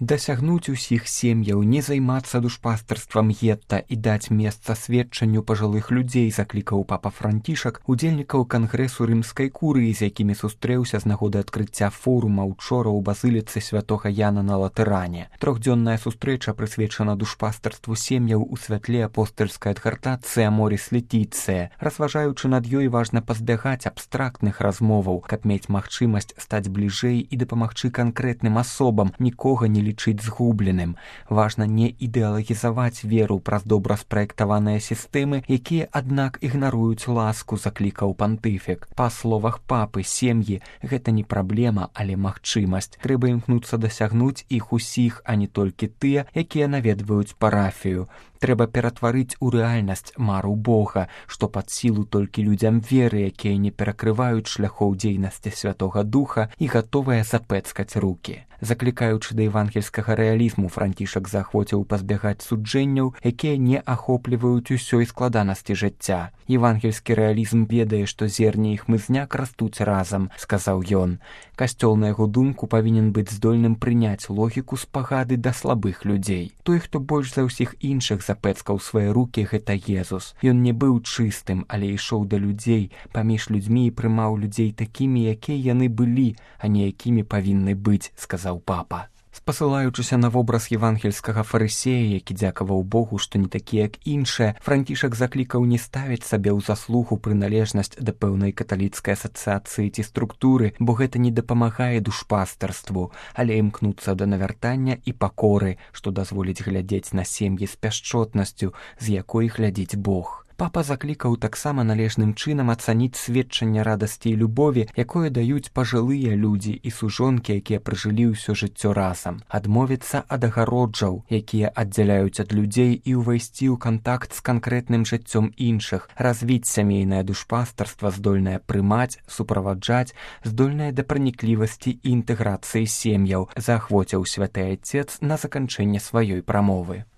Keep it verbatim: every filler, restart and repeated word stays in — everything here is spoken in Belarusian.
Дасягнуць усіх сем'яў, не займацца душпастарствам гетта і даць месца сведчанню пажылых людзей, заклікаў папа Францішак удзельнікаў кангрэсу рымскай курыі, з якімі сустрэўся з нагоды адкрыцця форума учора ў базыліцы святога Яна на Латэране. Трохдзённая сустрэча прысвечана душпастарству сем'яў у святле апостальскай адгартацыі Аморіс Летіцыя. Разважаючы над ёй, важна пазбягаць абстрактных размоваў, каб мець магчымасць стаць бліжэй і дапамагчы канкрэтным асобам, нікога не лічыць згубленым. Важна не ідэалагізаваць веру праз добра спраектаваныя сістэмы, якія, аднак, ігнаруюць ласку, заклікаў пантыфік. Па словах папы, сем'і – гэта не праблема, але магчымасць. Трэба імкнуцца дасягнуць іх усіх, а не толькі тыя, якія наведваюць парафію. Трэба ператварыць у рэальнасць мару Бога, што пад сілу толькі людзям веры, якія не перакрываюць шляхоў дзейнасці Святога Духа і гатовыя запэцкаць рукі. Заклікаючы да евангельскага рэалізму, Францішак заахвоціў пазбягаць суджэнняў, якія не ахопліваюць усёй складанасці жыцця. Евангельскі рэалізм ведае, што зерне і хмызняк растуць разам, сказаў ён. Касцёл, на яго думку, павінен быць здольным прыняць логіку спагады да слабых людзей. Той, хто больш за ўсіх іншых запэцкаў свае рукі, гэта Езус. Ён не быў чыстым, але ішоў да людзей, паміж людзьмі і прымаў людзей такімі, якія яны былі, а не якімі павінны быць, сказаў папа. Спасылаючыся на вобраз евангельскага фарысея, які дзякаваў Богу, што не такі, як іншыя, Францішак заклікаў не ставіць сабе ў заслугу прыналежнасць да пэўнай каталіцкай асацыяцыі ці структуры, бо гэта не дапамагае душпастарству, але імкнуцца да навяртання і пакоры, што дазволіць глядзець на сем'і з пяшчотнасцю, з якой глядзіць Бог. Папа заклікаў таксама належным чынам ацаніць сведчанне радасці і любові, якое даюць пажылыя людзі і сужонкі, якія пражылі ўсё жыццё разам. Адмовіцца ад агароджаў, якія аддзяляюць ад людзей, і ўвайсці ў кантакт з канкрэтным жыццём іншых, развіць сямейнае душпастарства, здольнае прымаць, суправаджаць, здольнае да праніклівасці і інтэграцыі сем'яў, заахвоціў святы айцец на заканчэнне сваёй прамовы.